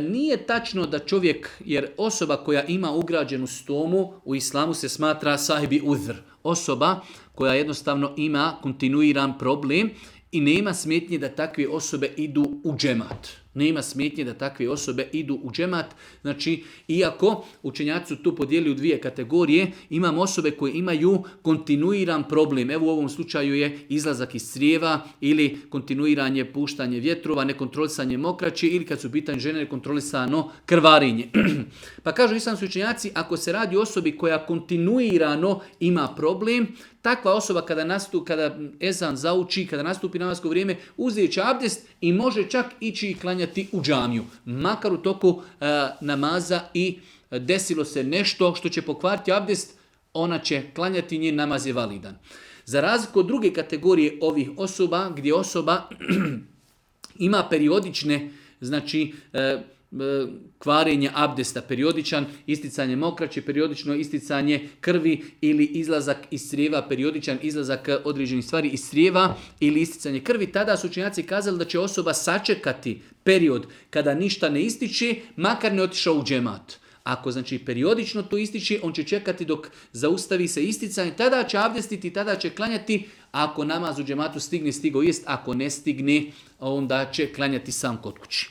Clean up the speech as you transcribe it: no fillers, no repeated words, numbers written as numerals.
Nije tačno da čovjek, jer osoba koja ima ugrađenu stomu u islamu se smatra sahibi udhr. Osoba koja jednostavno ima kontinuiran problem i nema smetnje da takve osobe idu u džemat. Nema smetnje da takve osobe idu u džemat. Znači, iako učenjaci su tu podijeli u dvije kategorije, imamo osobe koje imaju kontinuiran problem. Evo u ovom slučaju je izlazak iz crijeva ili kontinuiranje puštanje vjetrova, nekontrolisanje mokraće ili kad su u pitanju žene nekontrolisano krvarenje. Pa kažu islamski učenjaci, ako se radi o osobi koja kontinuirano ima problem, takva osoba kada ezan zauči, kada nastupi namasko vrijeme, uzet će abdest i može čak ići i klanjati u džamiju. Makar u toku namaza i desilo se nešto što će pokvariti abdest, ona će klanjati, njen namaz je validan. Za razliku od druge kategorije ovih osoba, gdje osoba ima periodične, znači kvarenje abdesta, periodičan isticanje mokraće, periodično isticanje krvi ili izlazak iz crijeva, periodičan izlazak određenih stvari iz crijeva ili isticanje krvi, tada su učenjaci kazali da će osoba sačekati period kada ništa ne ističe, makar ne otišao u džemat. Ako znači periodično to ističe, on će čekati dok zaustavi se isticanje, tada će abdestiti, tada će klanjati. Ako namaz u džematu stigne, stigao jest, ako ne stigne, onda će klanjati sam kod kući.